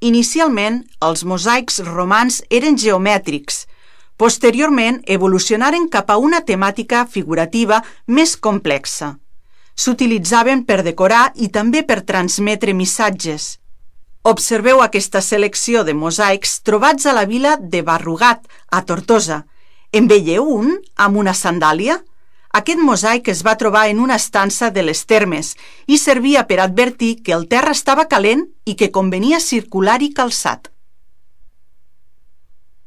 Inicialment, els mosaics romans eren geomètrics. Posteriorment, evolucionaren cap a una temàtica figurativa més complexa. S'utilitzaven per decorar i també per transmetre missatges. Observeu aquesta selecció de mosaics trobats a la vila de Barrugat, a Tortosa. En veieu un amb una sandàlia? Aquest mosaic es va trobar en una estança de les Termes i servia per advertir que el terra estava calent i que convenia circular-hi calçat.